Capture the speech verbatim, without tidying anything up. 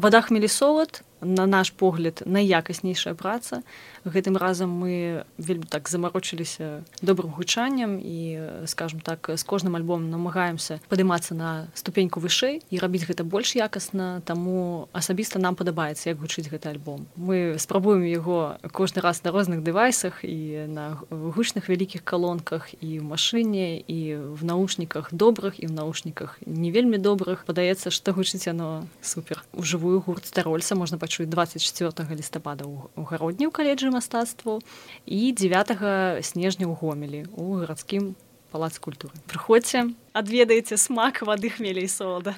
Вада хмель і солад, на наш погляд, найякаснейшая праца. Гэтым разам мы вельмі так замарочыліся добрым гучаннем і, скажем так, з кожным альбомом намагаемся падымацца на ступеньку вышэй і рабіць гэта больш якасна, таму асабіста нам падабаецца, як гучыць гэты альбом. Мы спрабуем яго кожны раз на розных дэвайсах і на гучных вялікіх калонках, і ў машыне, і в наушніках добрых, і в наушніках не вельмі добрых. Падаецца, што гучыць яно супер. У жывую гурт Старольца можна пачуць дваццаць чацвёртага лістапада ў гародні ў каледжы мастацтваў і дзевятага снежня ў Гомелі у гарадскім палацы культуры. Прыходзьце, адведайце смак вады хмеля і солада.